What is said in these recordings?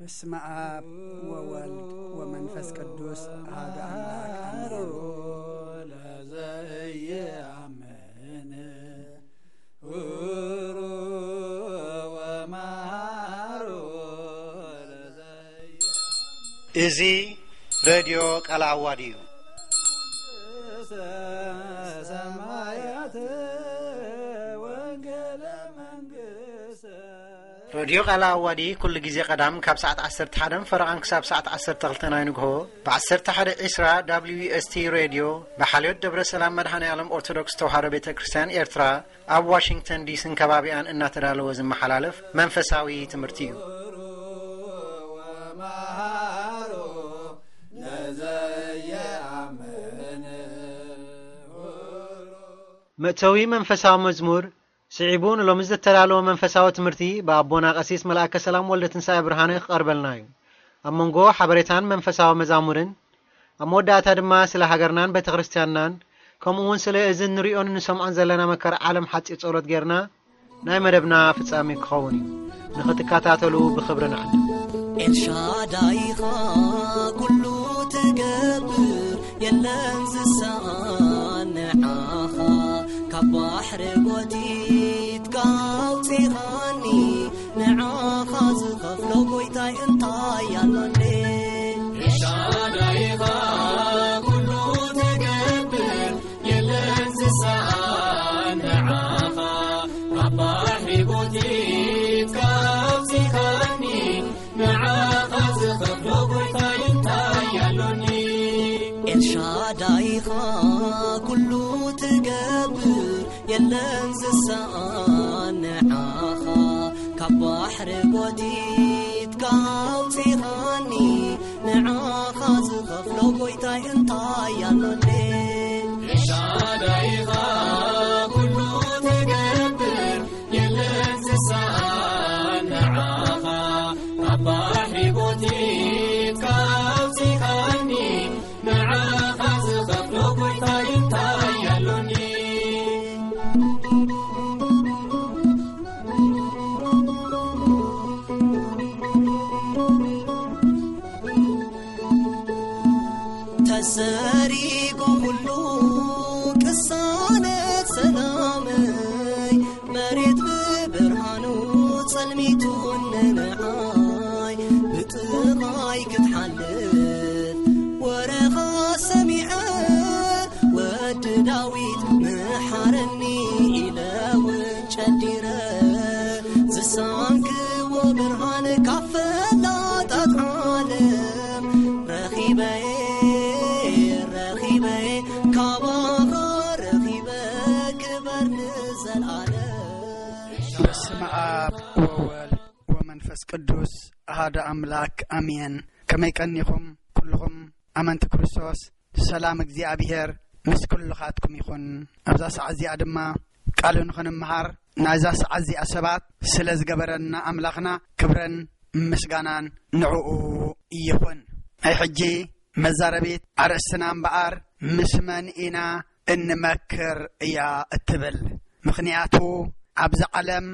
በስመ አብ ወወልድ ወመንፈስ ቅዱስ አሐዱ አምላክ አሜን። ለዘየአምን ሁሩ ወመሃሩ ለዘየ- እዚ ሬድዮ ቃለ ዓዋዲ እዩ። ሰማያት ወንጌለ መንግስት ሬድዮ ቃለ ዓዋዲ ኩሉ ግዜ ቀዳም ካብ ሰዓት ዓሰርተ ሓደ ፈረቓን ክሳብ ሰዓት ዓሰርተ ክልተ ናይ ንግሆ ብ ዓሰርተ ሓደ ዕስራ ደብሊው ኤስ ቲ ሬድዮ ብሓልዮት ደብረ ሰላም መድኃኔ ዓለም ኦርቶዶክስ ተዋህዶ ቤተ ክርስቲያን ኤርትራ ኣብ ዋሽንግተን ዲስን ከባቢኣን እናተዳለወ ዝመሓላለፍ መንፈሳዊ ትምህርቲ እዩ። ወመሃሩ ለዘየአምን መእተዊ መንፈሳዊ መዝሙር ስዒቡ ንሎሚ ዝተዳለወ መንፈሳዊ ትምህርቲ ብኣቦና ቀሲስ መልኣከ ሰላም ወልደ ትንሳኤ ብርሃነ ክቐርበልና እዩ። ኣብ መንጎ ሓበሬታን መንፈሳዊ መዛሙርን ኣብ መወዳእታ ድማ ስለ ሃገርናን ቤተ ክርስቲያንናን ከምኡ እውን ስለ እዚ ንሪኦን ንሰምዖን ዘለና መከራ ዓለም ሓፂር ጸሎት ጌርና ናይ መደብና ፍጻሜ ክኸውን እዩ። ንኽትከታተሉ ብኽብሪ ንዕድም። ኤልሻዳይኻ ኩሉ ትገብር የለን ዝሰኣን ንዓኻ ካብ ባሕሪ ጎቲትካ ኣውፂኻኒ ንዓኻ ዝኸፍሎ ጎይታይ እንታይ ኣሎኒ ኤልሻዳይኻ ኩሉ ትገብር የለን ዝሰኣን ንዓኻ ካብ ባሕሪ ጎቲትካ ኣውፂኻኒ ንዓኻ ዝኸፍሎ ጎይታይ እንታይ ኣሎኒ ኤልሻዳይኻ ኩሉ ትገብር የለን ዝሰኣን ንዓኻ ካብ ባሕሪ ጎቲትካ ኣውፂኻኒ ንዓኻ ዝኸፍሎ ጎይታይ እንታይ ኣሎኒ ኤልሻዳይኻ ኩሉ ትገብር የለን ዝሰኣን ንዓኻ ካብ ባሕሪ ጎቲትካ ኣውፂኻኒ ንዓኻ ዝኸፍሎ ጎይታይ እንታይ ኣሎኒ ተሰሪጉ ኩሉ ቅሳነት ሰላመይ መሬት ብብርሃኑ ጸልሚቱ ንንዓይ ብጥቓይ ክትሓልፍ ወረኻ ሰሚዐ ወዲ ዳዊት ምሓረኒ ኢለ እውን ጨዲረ ዝሳንክዎ ብርሃን ካብ ፈላጣት ዓለም ረኺበ ረኺበ ካባኻ ረኺበ ክበር ንዘልኣለም በስመ አብ ወወልድ ወመንፈስ ቅዱስ አሐዱ አምላክ አሜን። ከመይ ቀኒኹም ኩልኹም ኣመንቲ ክርስቶስ? ሰላም እግዚኣብሔር ምስ ኩልኻትኩም ይኹን። ኣብዛ ሰዓት እዚኣ ድማ ቃሉ ንኽንምሃር ናይዛ ሰዓት እዚኣ ሰባት ስለ ዝገበረና ኣምላኽና ክብረን ምስጋናን ንዕኡ ይኹን። ናይ ሕጂ መዛረቢት ኣርእስትና እምበኣር ምስ መን ኢና እንመክር እያ እትብል። ምኽንያቱ ኣብዚ ዓለም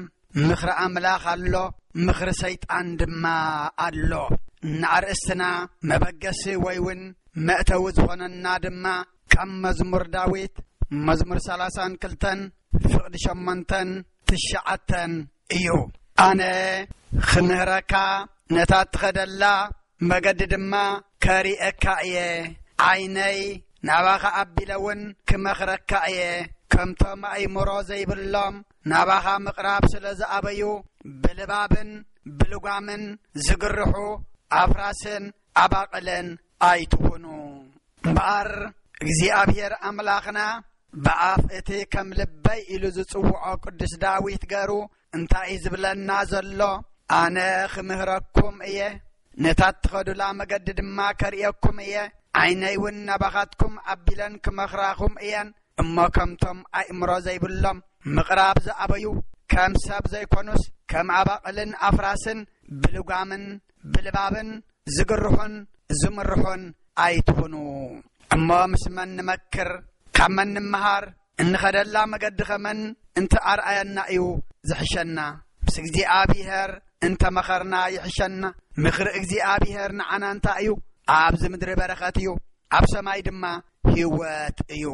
ምኽሪ ኣምላኽ ኣሎ፣ ምኽሪ ሰይጣን ድማ ኣሎ። ንኣርእስትና መበገሲ ወይ እውን መእተዊ ዝኾነና ድማ ካብ መዝሙር ዳዊት መዝሙር ሰላሳን ክልተን ፍቕዲ ሸሞንተን ትሽዓተን እዩ። ኣነ ኽምህረካ ነታ እትኸደላ መገዲ ድማ ከርእየካ እየ። ዓይነይ ናባኻ ኣቢለ እውን ክመኽረካ እየ። ከምቶም ኣእምሮ ዘይብሎም ናባኻ ምቕራብ ስለ ዝኣበዩ ብልባብን ብልጓምን ዝግርሑ ኣፍራስን ኣባቕልን ኣይትኹኑ። እምበኣር እግዚኣብሔር ኣምላኽና ብኣፍ እቲ ከም ልበይ ኢሉ ዝጽውዖ ቅዱስ ዳዊት ገሩ እንታይ እዩ ዝብለና ዘሎ? ኣነ ኽምህረኩም እየ፣ ነታ እትኸዱላ መገዲ ድማ ከርእየኩም እየ። ዓይነይ እውን ናባኻትኩም ኣቢለን ክመኽራኹም እየን። እሞ ከምቶም ኣእምሮ ዘይብሎም ምቕራብ ዝኣበዩ ከም ሰብ ዘይኮኑስ ከም ኣባቕልን ኣፍራስን ብልጓምን ብልባብን ዝግርሑን ዝምርሑን ኣይትኹኑ። እሞ ምስ መን ንመክር? ካብ መን ንምሃር? እንኸደላ መገዲ ኸመን እንተኣርኣየና እዩ ዝሕሸና። ምስ እግዚኣብሔር እንተመኸርና ይሕሸና። ምኽሪ እግዚኣብሔር ንዓና እንታይ እዩ? ኣብዚ ምድሪ በረኸት እዩ፣ ኣብ ሰማይ ድማ ህይወት እዩ።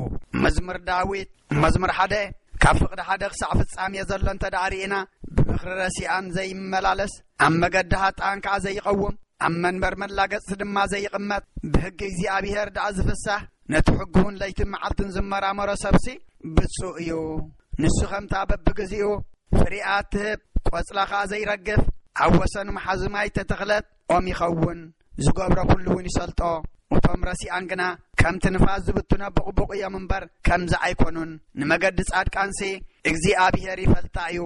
መዝሙር ዳዊት መዝሙር ሓደ ካብ ፍቕዲ ሓደ ክሳዕ ፍጻሜ ዘሎ እንተ ደኣ ርኢና፣ ብምኽሪ ረሲኣን ዘይመላለስ፣ ኣብ መገዲ ሃጣን ከኣ ዘይቐውም፣ ኣብ መንበር መላገጽቲ ድማ ዘይቕመጥ፣ ብሕጊ እግዚኣብሔር ደኣ ዝፍሳህ፣ ነቲ ሕጉውን ለይትን መዓልትን ዝመራመሮ ሰብሲ ብፁእ እዩ። ንሱ ከምታ በብግዜኡ ፍሪኣ እትህብ፣ ቆጽላ ኸኣ ዘይረግፍ፣ ኣብ ወሰን መሓዙ ማይ እተተኽለት ኦም ይኸውን። ዝገብሮ ኩሉ እውን ይሰልጦ። እቶም ረሲኣን ግና ከምቲ ንፋስ ዝብትኖ ቡቕቡቕ እዮም እምበር፣ ከምዚ ኣይኮኑን። ንመገዲ ጻድቃንሲ እግዚኣብሔር ይፈልጣ እዩ።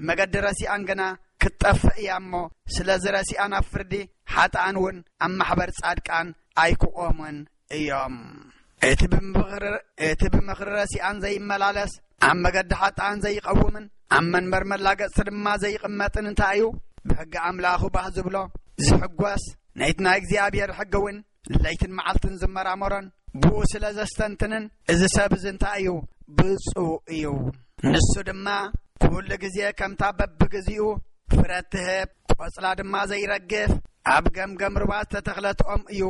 መገዲ ረሲኣን ግና ክትጠፍእ እያ እሞ፣ ስለዚ ረሲኣን ኣብ ፍርዲ፣ ሓጥኣን እውን ኣብ ማሕበር ጻድቃን ኣይክቖሙን እዮም። እቲ ብምኽሪ፣ እቲ ብምኽሪ ረሲኣን ዘይመላለስ፣ ኣብ መገዲ ሓጥኣን ዘይቐውምን፣ ኣብ መንበር መላገጽቲ ድማ ዘይቕመጥን እንታይ እዩ? ብሕጊ ኣምላኹ ባህ ዝብሎ፣ ዝሕጎስ፣ ነይቲ ናይ እግዚኣብሔር ሕጊ እውን ለይትን መዓልትን ዝመራመሮን፣ ብኡ ስለ ዘስተንትንን፣ እዚ ሰብ እዚ እንታይ እዩ? ብፁእ እዩ። ንሱ ድማ ኩሉ ግዜ ከምታ በብግዜኡ ፍረ እትህብ፣ ቆጽላ ድማ ዘይረግፍ፣ ኣብ ገምገም ሩባ ዝተተኽለት ኦም እዩ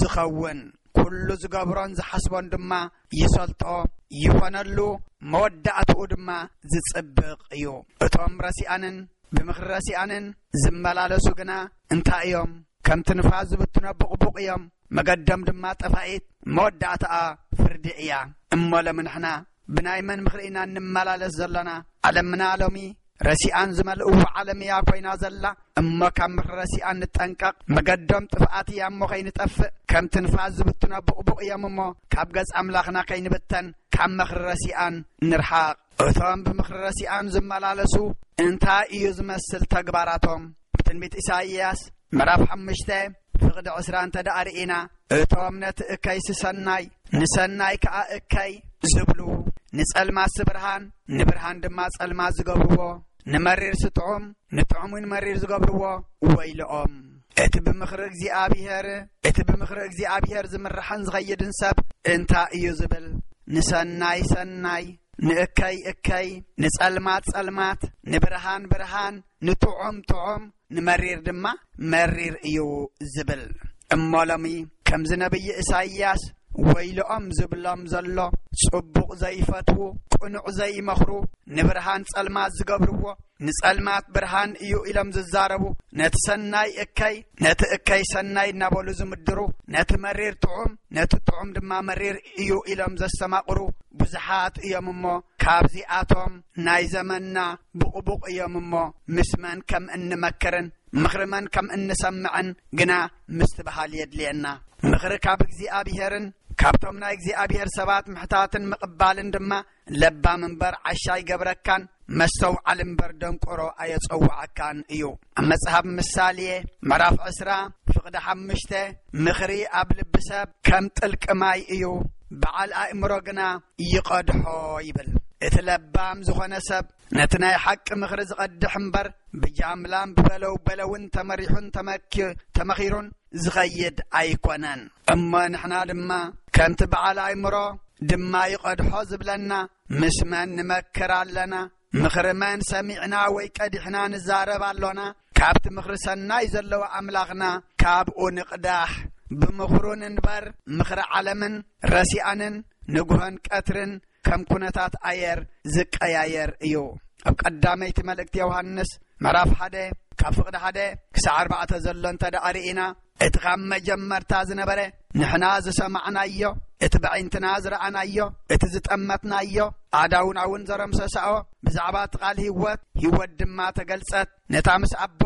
ዝኸውን። ኩሉ ዝገብሮን ዝሓስቦን ድማ ይሰልጦ፣ ይኾነሉ፣ መወዳእትኡ ድማ ዝጽብቕ እዩ። እቶም ረሲኣንን ብምኽሪ ረሲኣንን ዝመላለሱ ግና እንታይ እዮም? ከምቲ ንፋስ ዝብትኖ ቡቕቡቕ እዮም፣ መገዶም ድማ ጠፋኢት፣ መወዳእታኣ ፍርዲ እያ። እሞ ሎሚ ንሕና ብናይ መን ምኽሪ ኢና እንመላለስ ዘሎና? ዓለምና ሎሚ ረሲኣን ዝመልእዎ ዓለም እያ ኮይና ዘላ። እሞ ካብ ምኽሪ ረሲኣን ንጠንቀቕ። መገዶም ጥፍኣት እያ እሞ ከይንጠፍእ፣ ከምቲ ንፋስ ዝብትኖ ቡቕቡቕ እዮም እሞ ካብ ገጽ ኣምላኽና ከይንብተን ካብ ምኽሪ ረሲኣን ንርሓቕ። እቶም ብምኽሪ ረሲኣን ዝመላለሱ እንታይ እዩ ዝመስል ተግባራቶም? ብትንቢት ኢሳይያስ ምዕራፍ ሓሙሽተ ፍቕዲ ዕስራ እንተ ደኣ ርኢና፣ እቶም ነቲ እከይሲ ሰናይ፣ ንሰናይ ከኣ እከይ ዝብሉ፣ ንጸልማትሲ ብርሃን፣ ንብርሃን ድማ ጸልማት ዝገብርዎ፣ ንመሪርሲ ጥዑም፣ ንጥዑም እውን መሪር ዝገብርዎ ወይልኦም። እቲ ብምኽሪ እግዚኣብሔር፣ እቲ ብምኽሪ እግዚኣብሔር ዝምርሕን ዝኸይድን ሰብ እንታይ እዩ ዝብል? ንሰናይ ሰናይ፣ ንእከይ እከይ፣ ንጸልማት ጸልማት፣ ንብርሃን ብርሃን፣ ንጥዑም ጥዑም፣ ንመሪር ድማ መሪር እዩ ዝብል። እሞ ሎሚ ከምዚ ነብዪ ኢሳይያስ ወይልኦም ዝብሎም ዘሎ፣ ጽቡቕ ዘይፈትዉ፣ ቅኑዕ ዘይመኽሩ፣ ንብርሃን ጸልማት ዝገብርዎ፣ ንጸልማት ብርሃን እዩ ኢሎም ዝዛረቡ፣ ነቲ ሰናይ እከይ፣ ነቲ እከይ ሰናይ እናበሉ ዝምድሩ፣ ነቲ መሪር ጥዑም፣ ነቲ ጥዑም ድማ መሪር እዩ ኢሎም ዘስተማቕሩ ብዙሓት እዮም እሞ፣ ካብዚኣቶም ናይ ዘመንና ብቑቡቕ እዮም እሞ፣ ምስ መን ከም እንመክርን ምኽሪ መን ከም እንሰምዕን ግና ምስትብሃል የድልየና። ምኽሪ ካብ እግዚኣብሔርን ካብቶም ናይ እግዚኣብሔር ሰባት ምሕታትን ምቕባልን ድማ ለባም እምበር ዓሻ ኣይገብረካን፣ መስተውዓል እምበር ደንቆሮ ኣየጸውዓካን እዩ። ኣብ መጽሓፍ ምሳሌ ምዕራፍ ዕስራ ፍቕዲ ሓሙሽተ፣ ምኽሪ ኣብ ልቢ ሰብ ከም ጥልቂ ማይ እዩ፣ በዓል ኣእምሮ ግና ይቐድሖ ይብል። እቲ ለባም ዝኾነ ሰብ ነቲ ናይ ሓቂ ምኽሪ ዝቐድሕ እምበር፣ ብጃምላን ብበለው በለውን ተመሪሑን ተመኪ-፣ ተመኺሩን ዝኸይድ ኣይኮነን። እሞ ንሕና ድማ ከምቲ በዓል ኣእምሮ ድማ ይቐድሖ ዝብለና፣ ምስ መን ንመክር ኣለና? ምኽሪ መን ሰሚዕና ወይ ቀዲሕና ንዛረብ ኣሎና? ካብቲ ምኽሪ ሰናይ ዘለዎ ኣምላኽና ካብኡ ንቕዳሕ። ብምኽሩ ንንበር። ምኽሪ ዓለምን ረሲኣንን ንግሆን ቀትርን ከም ኩነታት ኣየር ዝቀያየር እዩ። ኣብ ቀዳመይቲ መልእክቲ ዮሃንስ ምዕራፍ ሓደ ካብ ፍቕዲ ሓደ ክሳዕ ኣርባዕተ ዘሎ እንተ ደኣ ርኢና፣ እቲ ካብ መጀመርታ ዝነበረ፣ ንሕና ዝሰማዕናዮ፣ እቲ ብዒንትና ዝረኣናዮ፣ እቲ ዝጠመትናዮ፣ ኣዳውና እውን ዘረምሰሳኦ፣ ብዛዕባ እቲ ቃል ህይወት፣ ህይወት ድማ ተገልጸት፣ ነታ ምስ ኣቦ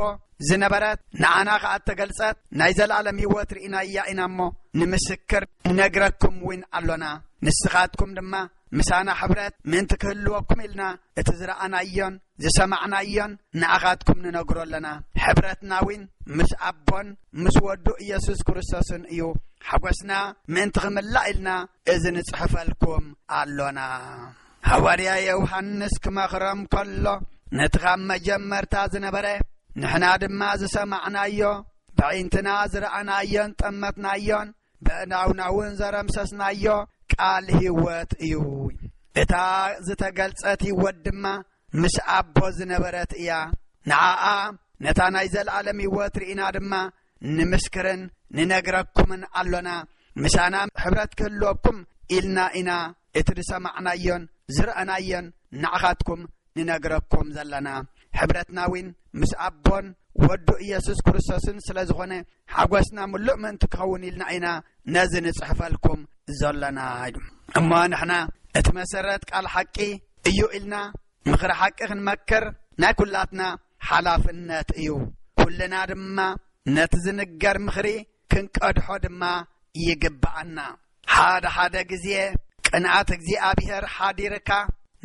ዝነበረት፣ ንዓና ኸኣ እተገልጸት ናይ ዘለኣለም ህይወት ርኢናያ ኢና እሞ፣ ንምስክር ንነግረኩም እውን ኣሎና። ንስኻትኩም ድማ ምሳና ሕብረት ምእንቲ ክህልወኩም ኢልና፣ እቲ ዝረኣናዮን ዝሰማዕናዮን ንኣኻትኩም ንነግሮ ኣለና። ሕብረትና እውን ምስ ኣቦን ምስ ወዱ ኢየሱስ ክርስቶስን እዩ። ሓጎስና ምእንቲ ክምላእ ኢልና፣ እዚ ንጽሕፈልኩም ኣሎና። ሃዋርያ ዮሃንስ ክመኽሮም ከሎ፣ ነቲ ካብ መጀመርታ ዝነበረ፣ ንሕና ድማ ዝሰማዕናዮ፣ ብዒንትና ዝረኣናዮን ጠመትናዮን፣ ብእዳውና እውን ዘረምሰስናዮ ቃል ህይወት እዩ። እታ ዝተገልጸት ህይወት ድማ ምስ ኣቦ ዝነበረት እያ። ንዓኣ ነታ ናይ ዘለኣለም ህይወት ርኢና ድማ ንምስክርን ንነግረኩምን ኣሎና። ምሳና ሕብረት ክህልወኩም ኢልና ኢና እቲ ዝሰማዕናዮን ዝረኣናዮን ንዓኻትኩም ንነግረኩም ዘለና። ሕብረትና እውን ምስ ኣቦን ወዱ ኢየሱስ ክርስቶስን ስለ ዝኾነ፣ ሓጎስና ምሉእ ምእንቲ ክኸውን ኢልና ኢና ነዚ ንጽሕፈልኩም ዘለና። እሞ ንሕና እቲ መሰረት ቃል ሓቂ እዩ ኢልና ምኽሪ ሓቂ ክንመክር ናይ ኩላትና ሓላፍነት እዩ። ኩልና ድማ ነቲ ዝንገር ምኽሪ ክንቀድሖ ድማ ይግብኣና። ሓደ ሓደ ግዜ ቅንኣት እግዚኣብሔር ሓዲርካ፣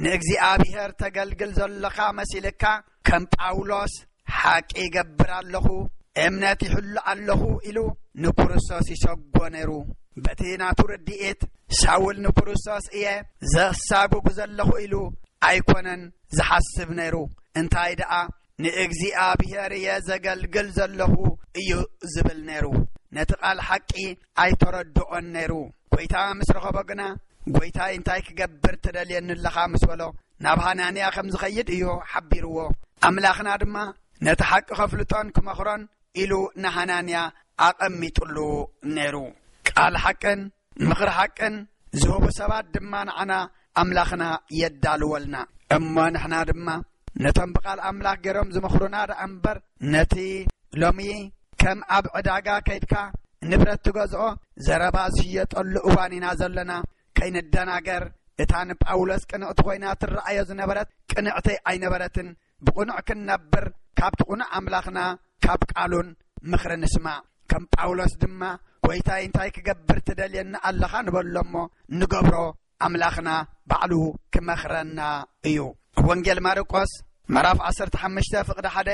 ንእግዚኣብሔር ተገልግል ዘለኻ መሲልካ፣ ከም ጳውሎስ ሓቂ ይገብር ኣለኹ፣ እምነት ይሕሉ ኣለኹ ኢሉ ንክርስቶስ ይሰጎ ነይሩ። በቲ ናቱ ርድኢት ሳውል ንክርስቶስ እየ ዘሳጉጉ ዘለኹ ኢሉ ኣይኮነን ዝሓስብ ነይሩ። እንታይ ደኣ ንእግዚኣብሔር እየ ዘገልግል ዘለኹ እዩ ዝብል ነይሩ። ነቲ ቃል ሓቂ ኣይተረድኦን ነይሩ። ጐይታ ምስ ረኸቦ ግና፣ "ጐይታይ፣ እንታይ ክገብር ትደልየኒ ኣለኻ?" ምስ በሎ፣ ናብ ሃናንያ ከም ዝኸይድ እዩ ሓቢርዎ። ኣምላኽና ድማ ነቲ ሓቂ ከፍልጦን ክመኽሮን ኢሉ ንሃናንያ ኣቐሚጥሉ ነይሩ። ቃል ሓቅን ምኽሪ ሓቅን ዝህቡ ሰባት ድማ ንዓና ኣምላኽና የዳልወልና። እሞ ንሕና ድማ ነቶም ብቓል ኣምላኽ ገይሮም ዝመኽሩና ደኣ እምበር፣ ነቲ ሎሚ ከም ኣብ ዕዳጋ ከይድካ ንብረት ትገዝኦ፣ ዘረባ ዝሽየጠሉ እዋን ኢና ዘለና። ከይንደናገር፣ እታ ንጳውሎስ ቅንዕቲ ኮይና ትረኣዮ ዝነበረት ቅንዕቲ ኣይነበረትን። ብቕኑዕ ክንነብር ካብቲ ቅኑዕ ኣምላኽና ካብ ቃሉን ምኽሪ ንስማዕ። ከም ጳውሎስ ድማ፣ "ጐይታይ፣ እንታይ ክገብር ትደልየኒ ኣለኻ?" ንበሎ እሞ ንገብሮ ኣምላኽና ባዕሉ ክመኽረና እዩ። ወንጌል ማርቆስ ምዕራፍ ዓሰርተ ሓሙሽተ ፍቕዲ ሓደ፣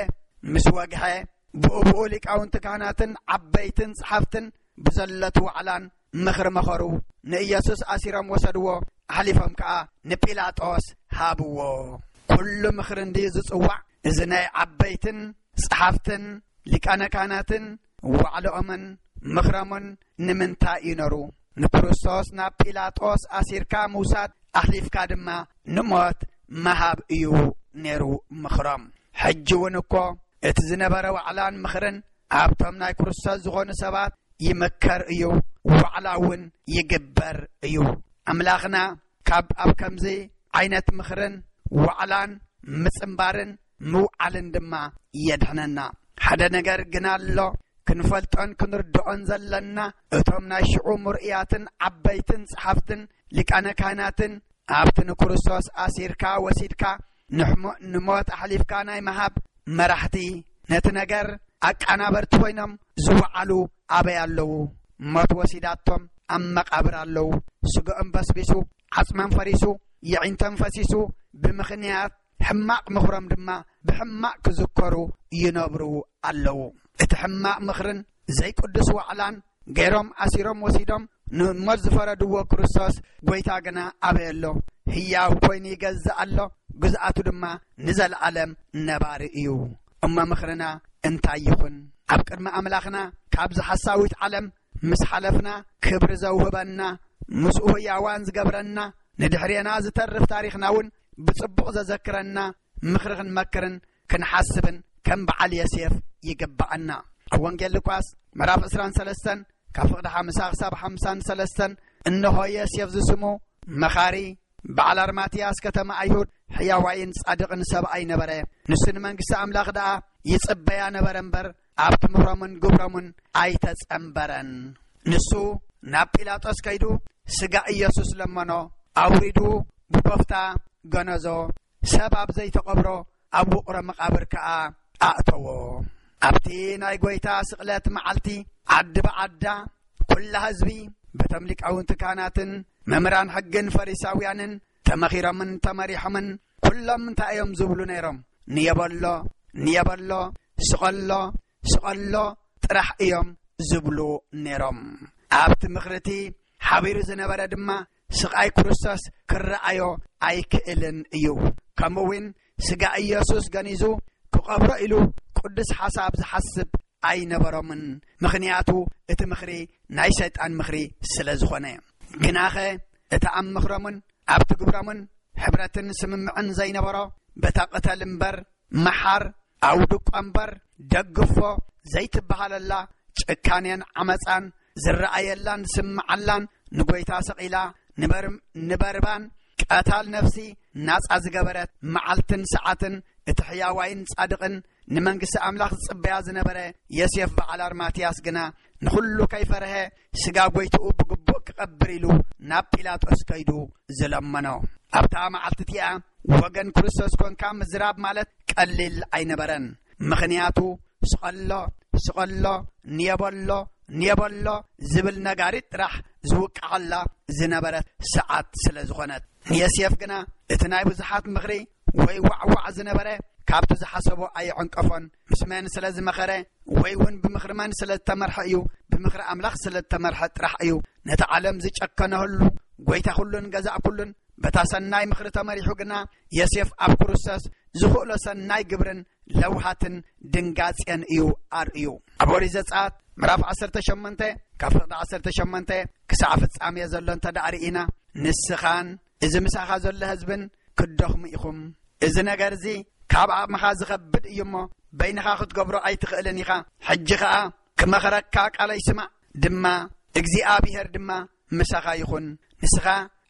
ምስ ወግሐ፣ ብኡ ብኡ ሊቃውንቲ ካህናትን ዓበይትን ጸሓፍትን ብዘለቱ ዋዕላን ምኽሪ መኸሩ። ንኢየሱስ ኣሲሮም ወሰድዎ፣ ኣሕሊፎም ከኣ ንጲላጦስ ሃብዎ። ኩሉ ምኽሪ እንድዩ ዝጽዋዕ። እዚ ናይ ዓበይትን ጸሓፍትን ሊቃነ ካህናትን ዋዕላኦምን ምኽሮምን ንምንታይ እዩ ነሩ? ንክርስቶስ ናብ ጲላጦስ ኣሲርካ ምውሳድ፣ ኣሕሊፍካ ድማ ንሞት ምሃብ እዩ ነይሩ ምኽሮም። ሕጂ እውን እኮ እቲ ዝነበረ ዋዕላን ምኽርን ኣብቶም ናይ ክርስቶስ ዝኾኑ ሰባት ይመከር እዩ፣ ዋዕላ እውን ይግበር እዩ። ኣምላኽና ካብ ኣብ ከምዚ ዓይነት ምኽርን ዋዕላን ምጽንባርን ምውዓልን ድማ የድሕነና። ሓደ ነገር ግን ኣሎ፣ ክንፈልጦን ክንርድኦን ዘለና፣ እቶም ናይ ሽዑ ምርእያትን ዓበይትን ጸሓፍትን ሊቃነ ካህናትን ኣብቲ ንክርስቶስ ኣሲርካ ወሲድካ ንሕሞ-፣ ንሞት ኣሕሊፍካ ናይ ምሃብ መራሕቲ፣ ነቲ ነገር ኣቃናበርቲ ኮይኖም ዝወዓሉ ኣበይ ኣለዉ? ሞት ወሲዳቶም ኣብ መቃብር ኣለዉ። ስግኦም በስቢሱ፣ ዓጽሞም ፈሪሱ፣ የዒንቶም ፈሲሱ፣ ብምኽንያት ሕማቕ ምኽሮም ድማ ብሕማቕ ክዝከሩ ይነብሩ ኣለዉ። እቲ ሕማቕ ምኽርን ዘይቅዱስ ዋዕላን ገይሮም ኣሲሮም ወሲዶም ንሞት ዝፈረድዎ ክርስቶስ ጐይታ ግና ኣበይ ኣሎ? ህያው ኮይኑ ይገዝእ ኣሎ፣ ግዝኣቱ ድማ ንዘለኣለም ነባሪ እዩ። እሞ ምኽርና እንታይ ይኹን? ኣብ ቅድሚ ኣምላኽና ካብዚ ሓሳዊት ዓለም ምስ ሓለፍና፣ ክብሪ ዘውህበና፣ ምስኡ ህያዋን ዝገብረና፣ ንድሕሬና ዝተርፍ ታሪኽና እውን ብጽቡቕ ዘዘክረና ምኽሪ ክንመክርን ክንሓስብን ከም በዓል ዮሴፍ ይግብኣና። ኣብ ወንጌል ሉቃስ ምዕራፍ ዕስራን ሰለስተን ካብ ፍቕዲ ሓምሳ ክሳብ ሓምሳን ሰለስተን፣ እንሆ ዮሴፍ ዝስሙ መኻሪ፣ በዓል ኣርማትያስ ከተማ ኣይሁድ፣ ሕያዋይን ጻድቕን ሰብኣይ ነበረ። ንሱ ንመንግስቲ ኣምላኽ ደኣ ይጽበያ ነበረ እምበር፣ ኣብቲ ምኽሮምን ግብሮምን ኣይተጸንበረን። ንሱ ናብ ጲላጦስ ከይዱ ስጋ ኢየሱስ ለመኖ፣ ኣውሪዱ ብቦፍታ ገነዞ፣ ሰብ ኣብ ዘይተቐብሮ ኣብ ውቕሮ መቓብር ከኣ ኣእተዎ። ኣብቲ ናይ ጐይታ ስቕለት መዓልቲ ዓዲ ብዓዳ ኩላ ህዝቢ በቶም ሊቃውንቲ ካህናትን መምህራን ሕግን ፈሪሳውያንን ተመኺሮምን ተመሪሖምን። ኩሎም እንታይ እዮም ዝብሉ ነይሮም? ንየበሎ፣ ንየበሎ፣ ስቐሎ፣ ስቐሎ ጥራሕ እዮም ዝብሉ ነይሮም። ኣብቲ ምኽሪ እቲ ሓቢሩ ዝነበረ ድማ ስቓይ ክርስቶስ ክረኣዮ ኣይክእልን እዩ። ከምኡ እውን ስጋ ኢየሱስ ገኒዙ ክቐብሮ ኢሉ ቅዱስ ሓሳብ ዝሓስብ ኣይነበሮምን። ምኽንያቱ እቲ ምኽሪ ናይ ሰይጣን ምኽሪ ስለ ዝኾነ። ግናኸ እቲ ኣብ ምኽሮምን ኣብቲ ግብሮምን ሕብረትን ስምምዕን ዘይነበሮ፣ በታ ቅተል እምበር መሓር፣ ኣውድቆ እምበር፣ ደግፎ ዘይትበሃለላ፣ ጭካኔን ዓመጻን ዝረኣየላን ዝስምዓላን፣ ንጎይታ ሰቒላ ንበር-፣ ንበርባን ቀታል ነፍሲ ናጻ ዝገበረት፣ መዓልትን ሰዓትን እቲ ሕያዋይን ጻድቕን ንመንግስቲ ኣምላኽ ዝጽበያ ዝነበረ ዮሴፍ በዓል ኣርማትያስ ግና፣ ንኹሉ ከይፈርሀ፣ ስጋ ጎይትኡ ብግቡእ ክቐብር ኢሉ ናብ ጲላጦስ ከይዱ ዝለመኖ። ኣብታ መዓልቲ እቲኣ፣ ወገን ክርስቶስ ኮንካ ምዝራብ ማለት ቀሊል ኣይነበረን። ምኽንያቱ፣ ስቐሎ፣ ስቐሎ፣ ንየበሎ፣ ንየበሎ ዝብል ነጋሪት ጥራሕ ዝውቃዓላ ዝነበረት ሰዓት ስለ ዝኾነት። ንዮሴፍ ግና እቲ ናይ ብዙሓት ምኽሪ ወይ ዋዕዋዕ ዝነበረ ካብቲ ዝሓሰቦ ኣየዐንቀፎን። ምስ መን ስለ ዝመኸረ ወይ እውን ብምኽሪ መን ስለ ዝተመርሐ እዩ፣ ብምኽሪ ኣምላኽ ስለ ዝተመርሐ ጥራሕ እዩ ነቲ ዓለም ዝጨከነህሉ፣ ጎይታ ኩሉን ገዛእ ኩሉን። በታ ሰናይ ምኽሪ ተመሪሑ ግና፣ ዮሴፍ ኣብ ክርስቶስ ዝኽእሎ ሰናይ ግብርን ለውሃትን ድንጋጼን እዩ ኣርእዩ። ኣብ ኦሪት ዘጸኣት ምዕራፍ ዓሰርተ ሸሞንተ፣ ካብ ፍቕዲ ዓሰርተ ሸሞንተ ክሳዕ ፍጻሜ ዘሎ እንተ ደኣ ርኢና፣ ንስኻን እዚ ምሳኻ ዘሎ ህዝብን ክትደኽሙ ኢኹም። እዚ ነገር እዚ ካብ ዓቕምኻ ዝኸብድ እዩ እሞ፣ በይንኻ ክትገብሮ ኣይትኽእልን ኢኻ። ሕጂ ኸኣ ክመኽረካ ቃለይ ስማዕ፣ ድማ እግዚኣብሄር ድማ ምሳኻ ይኹን። ንስኻ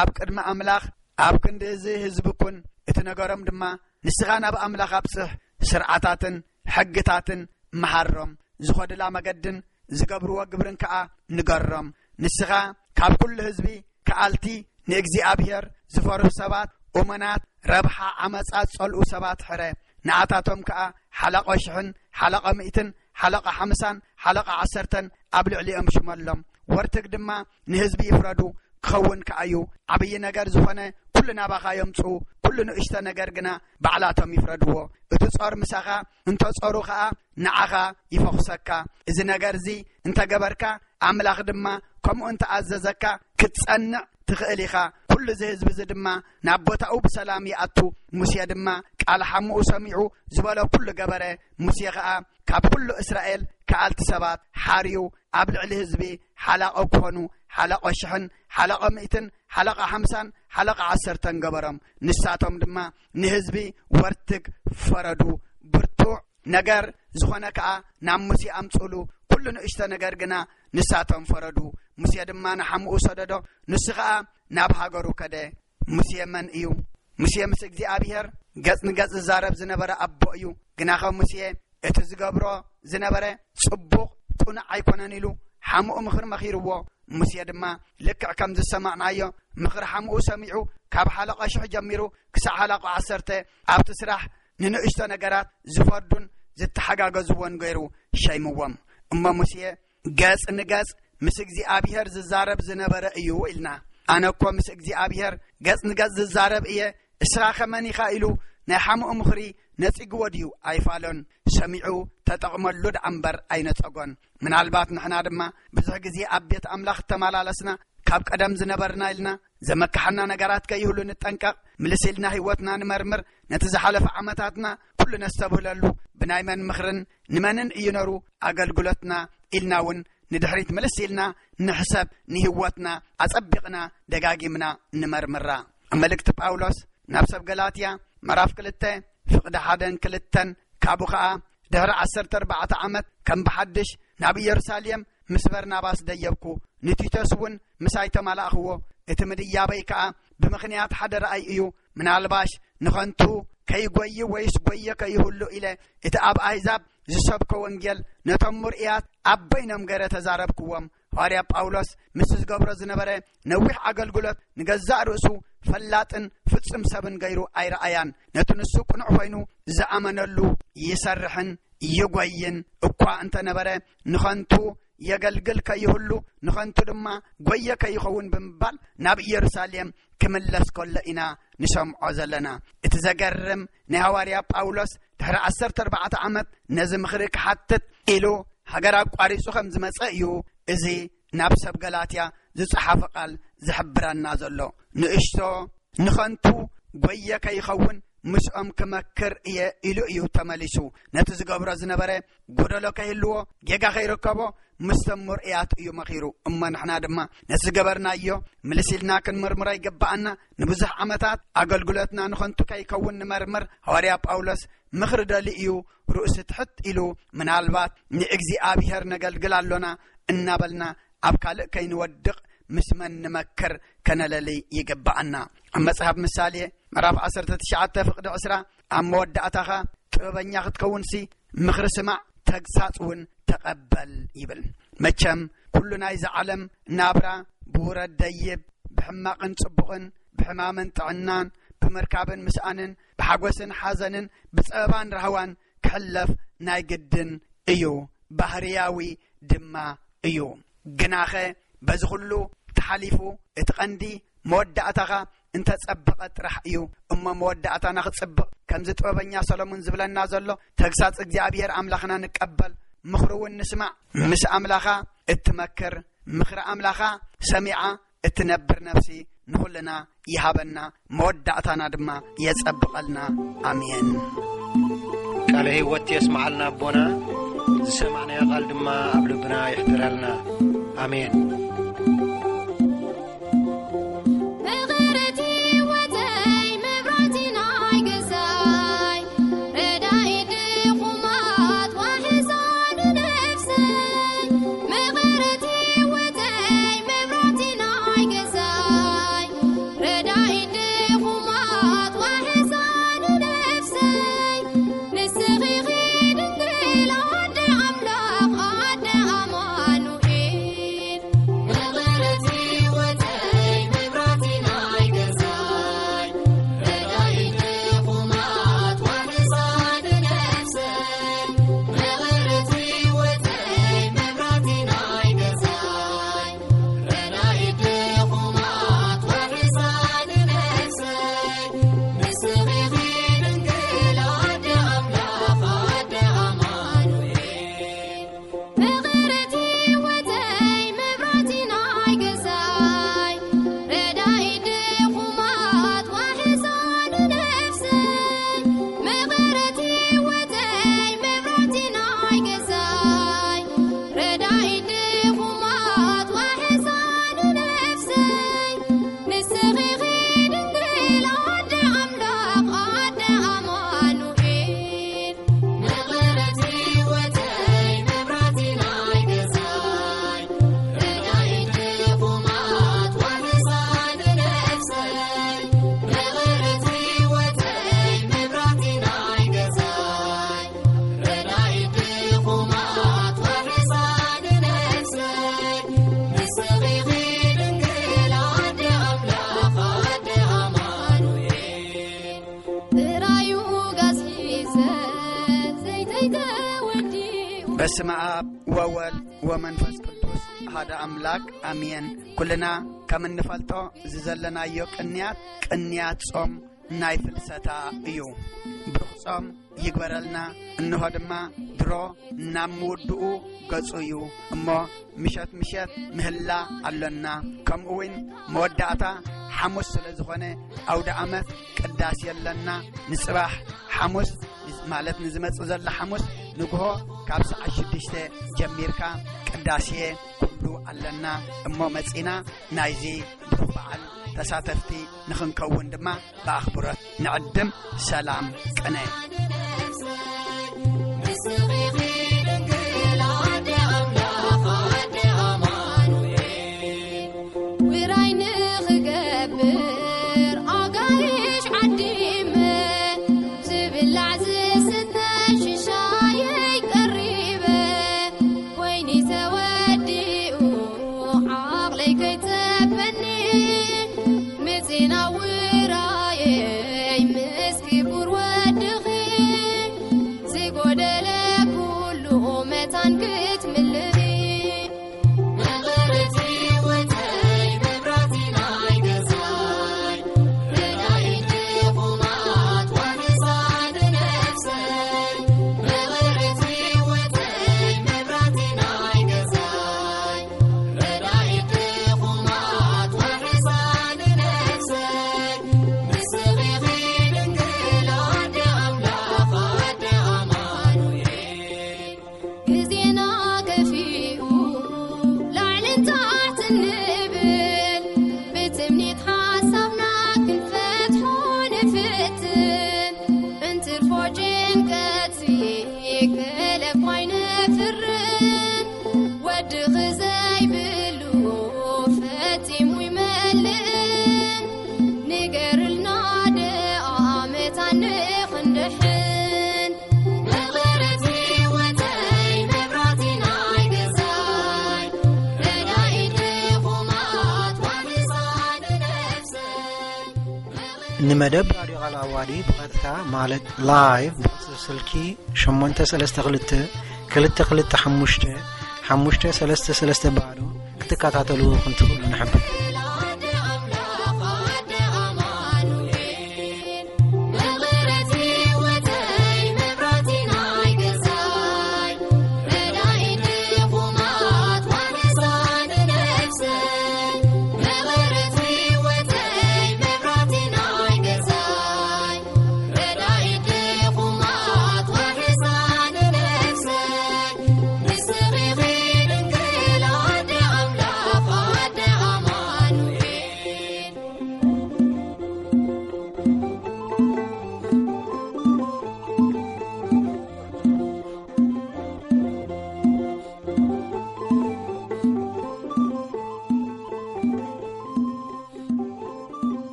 ኣብ ቅድሚ ኣምላኽ ኣብ ክንዲ እዚ ህዝቢ ኩን፣ እቲ ነገሮም ድማ ንስኻ ናብ ኣምላኽ ኣብጽሕ፣ ስርዓታትን ሕግታትን መሃሮም፣ ዝኸዱላ መገድን ዝገብርዎ ግብርን ከኣ ንገሮም። ንስኻ ካብ ኩሉ ህዝቢ ከኣልቲ፣ ንእግዚኣብሄር ዝፈርሁ ሰባት፣ እሙናት፣ ረብሓ ዓመጻ ዝጸልኡ ሰባት ሕረ። ንኣታቶም ከኣ ሓለቆ ሽሕን ሓለቆ ሚእትን ሓለቆ ሓምሳን ሓለቆ ዓሰርተን ኣብ ልዕሊኦም ሽመሎም። ወርትግ ድማ ንህዝቢ ይፍረዱ፣ ክኸውን ከኣዩ። ዓብዪ ነገር ዝኾነ ኩሉ ናባኻ የምጽኡ፣ ኩሉ ንእሽቶ ነገር ግና ባዕላቶም ይፍረድዎ። እቲ ጾር ምሳኻ እንተ ጾሩ ኸኣ ንዓኻ ይፈኹሰካ። እዚ ነገር እዚ እንተ ገበርካ፣ ኣምላኽ ድማ ከምኡ እንተ ኣዘዘካ ክትጸንዕ ትኽእል ኢኻ። ኩሉ እዚ ህዝቢ እዚ ድማ ናብ ቦታኡ ብሰላም ይኣቱ። ሙሴ ድማ ቃል ሓሙኡ ሰሚዑ ዝበሎ ኩሉ ገበረ። ሙሴ ኸኣ ካብ ኩሉ እስራኤል ከኣልቲ ሰባት ሓርዩ ኣብ ልዕሊ ህዝቢ ሓላቆ ክኾኑ፣ ሓለቆ ሽሕን ሓለቆ ሚእትን ሓለቆ ሓምሳን ሓለቆ ዓሰርተን ገበሮም። ንሳቶም ድማ ንህዝቢ ወርትግ ፈረዱ። ብርቱዕ ነገር ዝኾነ ከኣ ናብ ሙሴ ኣምጽሉ። ኩሉ ንእሽቶ ነገር ግና ንሳቶም ፈረዱ። ሙሴ ድማ ንሓሙኡ ሰደዶ፣ ንሱ ኸኣ ናብ ሃገሩ ከደ። ሙሴ መን እዩ? ሙሴ ምስ እግዚኣብሄር ገጽ ንገጽ ዝዛረብ ዝነበረ ኣቦ እዩ። ግናኸ ሙሴ እቲ ዝገብሮ ዝነበረ ጽቡቕ፣ ቅኑዕ ኣይኮነን ኢሉ ሓሙኡ ምኽሪ መኺርዎ። ሙሴ ድማ ልክዕ ከም ዝሰማዕናዮ ምኽሪ ሓሙኡ ሰሚዑ፣ ካብ ሓለቆ ሽሕ ጀሚሩ ክሳዕ ሓለቆ ዓሰርተ ኣብቲ ስራሕ ንንእሽቶ ነገራት ዝፈርዱን ዝተሓጋገዝዎን ገይሩ ሸይምዎም። እሞ ሙሴ ገጽ ንገጽ ምስ እግዚኣብሄር ዝዛረብ ዝነበረ እዩ ኢልና። ኣነ እኮ ምስ እግዚኣብሄር ገጽ ንገጽ ዝዛረብ እየ፣ እስኻ ከመን ኢኻ ኢሉ ናይ ሓሙኡ ምኽሪ ነጺግዎ ድዩ? ኣይፋሎን። ሰሚዑ ተጠቕመሉ ደኣ እምበር ኣይነጸጎን። ምናልባት ንሕና ድማ ብዙሕ ግዜ ኣብ ቤት ኣምላኽ እተመላለስና፣ ካብ ቀደም ዝነበርና ኢልና ዘመካሕና ነገራት ከይህሉ ንጠንቀቕ። ምልስ ኢልና ህይወትና ንመርምር። ነቲ ዝሓለፈ ዓመታትና ኩሉ ነስተብህለሉ። ብናይ መን ምኽርን ንመንን እዩ ነሩ ኣገልግሎትና ኢልና እውን ንድሕሪት ምልስ ኢልና ንሕሰብ። ንህይወትና ኣጸቢቕና ደጋጊምና ንመርምራ። ኣብ መልእክቲ ጳውሎስ ናብ ሰብ ገላትያ ምዕራፍ ክልተ ፍቕዲ ሓደን ክልተን፣ ካብኡ ኸኣ ድሕሪ ዓሰርተ ኣርባዕተ ዓመት ከም ብሓድሽ ናብ ኢየሩሳሌም ምስ በርናባስ ደየብኩ፣ ንቲቶስ እውን ምሳይ ተማላእኽዎ። እቲ ምድያበይ ከኣ ብምኽንያት ሓደ ረኣይ እዩ። ምናልባሽ ንኸንቱ ከይጎዪ ወይስ ጎየ ከይህሉ ኢለ እቲ ኣብ ኣህዛብ ዝሰብኮ ወንጌል ነቶም ምርእያት ኣብ በይኖም ገይረ ተዛረብክዎም። ሃዋርያ ጳውሎስ ምስ ዝገብሮ ዝነበረ ነዊሕ ኣገልግሎት ንገዛእ ርእሱ ፈላጥን ፍጹም ሰብን ገይሩ ኣይረኣያን። ነቲ ንሱ ቅኑዕ ኮይኑ ዝኣመነሉ ይሰርሕን ይጎይን እኳ እንተ ነበረ፣ ንኸንቱ የገልግል ከይህሉ፣ ንኸንቱ ድማ ጎየ ከይኸውን ብምባል ናብ ኢየሩሳሌም ክምለስ ከሎ ኢና ንሰምዖ ዘለና። እቲ ዘገርም ናይ ሃዋርያ ጳውሎስ ድሕሪ ዓሰርተ ኣርባዕተ ዓመት ነዚ ምኽሪ ክሓትት ኢሉ ሃገር ኣቋሪጹ ከም ዝመጸ እዩ እዚ ናብ ሰብ ገላትያ ዝጸሓፈ ቃል ዝሕብረና ዘሎ። ንእሽቶ ንኸንቱ ጎየ ከይኸውን ምስኦም ክመክር እየ ኢሉ እዩ ተመሊሱ። ነቲ ዝገብሮ ዝነበረ ጎደሎ ከይህልዎ፣ ጌጋ ከይርከቦ ምስቶም ምርእያት እዩ መኺሩ። እሞ ንሕና ድማ ነቲ ዝገበርናዮ ምልስ ኢልና ክንምርምሮ ይግብኣና። ንብዙሕ ዓመታት ኣገልግሎትና ንኸንቱ ከይከውን ንመርምር። ሃዋርያ ጳውሎስ ምኽሪ ደሊ እዩ ርእሱ ትሕት ኢሉ፣ ምናልባት ንእግዚኣብሔር ነገልግል ኣሎና እናበልና ኣብ ካልእ ከይንወድቕ ምስ መን ንመክር ከነለሊ ይግብኣና። ኣብ መጽሓፍ ምሳሌ ምዕራፍ ዓሰርተ ትሽዓተ ፍቕዲ ዕስራ፣ ኣብ መወዳእታኻ ጥበበኛ ክትከውንሲ ምኽሪ ስማዕ፣ ተግሳጽ እውን ተቐበል ይብል። መቸም ኩሉ ናይዚ ዓለም ናብራ ብውረድ ደይብ፣ ብሕማቕን ጽቡቕን፣ ብሕማምን ጥዕናን፣ ብምርካብን ምስኣንን፣ ብሓጎስን ሓዘንን፣ ብጸበባን ራህዋን ክሕለፍ ናይ ግድን እዩ፣ ባህርያዊ ድማ እዩ። ግናኸ በዚ ኩሉ ተሓሊፉ እቲ ቀንዲ መወዳእታኻ እንተጸበቐ ጥራሕ እዩ። እሞ መወዳእታና ክጽብቕ፣ ከምዚ ጥበበኛ ሰሎሞን ዝብለና ዘሎ፣ ተግሳጽ እግዚኣብሔር ኣምላኽና ንቀበል፣ ምኽሪ እውን ንስማዕ። ምስ ኣምላኻ እትመክር፣ ምኽሪ ኣምላኻ ሰሚዓ እትነብር ነፍሲ ንኹልና ይሃበና፣ መወዳእታና ድማ የጸብቐልና። ኣሜን። ቃለ ሕይወት የስምዓልና ኣቦና፣ ዝሰማዕናዮ ቃል ድማ ኣብ ልብና ይሕድረልና። ኣሜን። ምኽርቲ ወተይ መብራህቲ ናይ ገዛይ፣ ረዳኢ ድኹማት ዋሕዛ ንነፍሰይ። ምኽርቲ ወተይ መብራህቲ ናይ ገዛይ፣ ረዳኢ ድኹማት ዋሕዛ ንነፍሰይ። ንስኺ ኢኺ ድንግል ኣደ ኣምላኽ ኣደ ኣማኑኤል። ምኽርቲ ወተይ መብራህቲ ናይ ገዛይ፣ ረዳኢ ድኹማት ዋሕዛ ንነፍሰይ። ምኽርቲ ወተይ መብራህቲ ናይ ገዛይ፣ ረዳኢ ድኹማት ዋሕዛ ንነፍሰይ። ንስኺ ኢኺ ድንግል ኣደ ኣምላኽ ኣደ ኣማኑኤል። ምኽርቲ ወተይ መብራህቲ ናይ ገዛይ፣ ረዳኢ ድኹማት ዋሕዛ ንነፍሰይ። ምኽርቲ ወተይ መብራህቲ ናይ ገዛይ፣ ረዳኢ ድኹማት ዋሕዛ ንነፍሰይ። ንስኺ ኢኺ ድንግል ኣደ ኣምላኽ ኣደ ኣማኑኤል። ምኽርቲ ወተይ መብራህቲ ናይ ገዛይ፣ ረዳኢ ድኹማት ዋሕዛ ንነፍሰይ። ምኽርቲ ወተይ መብራህቲ ናይ ገዛይ፣ ረዳኢ ድኹማት ዋሕዛ ንነፍሰይ። ንስኺ ኢኺ ድንግል ኣደ ኣምላኽ ኣደ ኣማኑኤል። ጥራዩ ጋዝ ሒዘ ዘይተይ ተወዲኡ። በስመ ኣብ ወወልድ ወመንፈስ ቅዱስ ሓደ ኣምላክ ኣሜን። ኩልና ከም እንፈልጦ እዚ ዘለናዮ ቅንያት፣ ቅንያት ጾም ናይ ፍልሰታ እዩ። ብሩኽ ጾም ይግበረልና። እንሆ ድማ ድሮ ናብ ምውድኡ ገጹ እዩ እሞ ምሸት ምሸት ምህላ ኣሎና። ከምኡ እውን መወዳእታ ሓሙስ ስለ ዝኾነ ኣውደ ኣመት ቅዳሴ ኣለና። ንጽባሕ ሓሙስ ማለት ንዝመጽእ ዘሎ ሓሙስ ንግሆ ካብ ሰዓት ሽዱሽተ ጀሚርካ ቅዳሴ ኩሉ ኣለና እሞ መጺና ናይዚ ብሩኽ በዓል ተሳተፍቲ ንኽንከውን ድማ ብኣኽብሮት ንዕድም። ሰላም ቅነ። ውራይ ንኽገብር ኣጋይሽ ዓዲመ፣ ዝብላዕ ዝስተ ሽሻየይ ቀሪበ፣ ወይኒ ተወዲኡ ዓቕለይ ከይጸበኒ፣ ምጺና ውራየይ ምስ ክቡር ወድኺ። ዘይብሉ ፈጺሙ ይመልእን፣ ንገርልና ደኣ መታን ክንድሕን። መቐረት ህይወተይ መብራቲ ናይ ገዛይ፣ ረዳኢ ድኹማት ዋሕሳ ንነፍሰይ። ንመደብ ራድዮ ቃል ኣዋዲ ብቐጥታ ማለት ላይቭ ብቁጽሪ ስልኪ ሸሞንተ ሰለስተ ክልተ ክልተ ክልተ ሓሙሽተ ሓሙሽተ ሰለስተ ሰለስተ ባዶ ክትከታተሉ ኢኹም ትኽእሉ ንሕብር።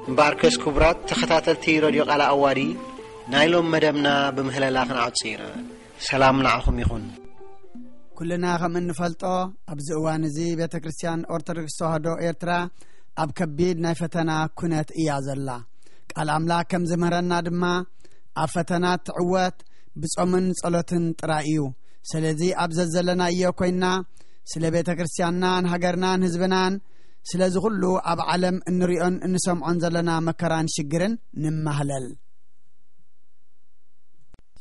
እምበኣርከስ ክቡራት ተኸታተልቲ ረድዮ ቃል ኣዋዲ፣ ናይ ሎም መደብና ብምህለላ ክንዓጹ ኢና። ሰላም ንዓኹም ይኹን። ኩልና ከም እንፈልጦ፣ ኣብዚ እዋን እዚ ቤተ ክርስቲያን ኦርቶዶክስ ተዋህዶ ኤርትራ ኣብ ከቢድ ናይ ፈተና ኩነት እያ ዘላ። ቃል ኣምላኽ ከም ዝምህረና ድማ፣ ኣብ ፈተና ትዕወት ብጾምን ጸሎትን ጥራይ እዩ። ስለዚ ኣብ ዘዘለናዮ ኮይና ስለ ቤተ ክርስቲያንናን ሃገርናን ህዝብናን፣ ስለዚ ኩሉ ኣብ ዓለም እንሪኦን እንሰምዖን ዘለና መከራን ሽግርን ንማህለል።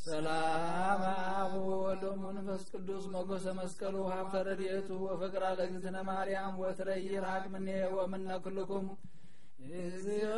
ሰላም ኣብ ወወልድ ወመንፈስ ቅዱስ ሞገሰ መስቀሉ ሃብተ ረድኤቱ ወፍቅራ ለእግዝእትነ ማርያም ወትረ ይርሃቅ ምኔ ወምነ ኩልኩም። እግዚኦ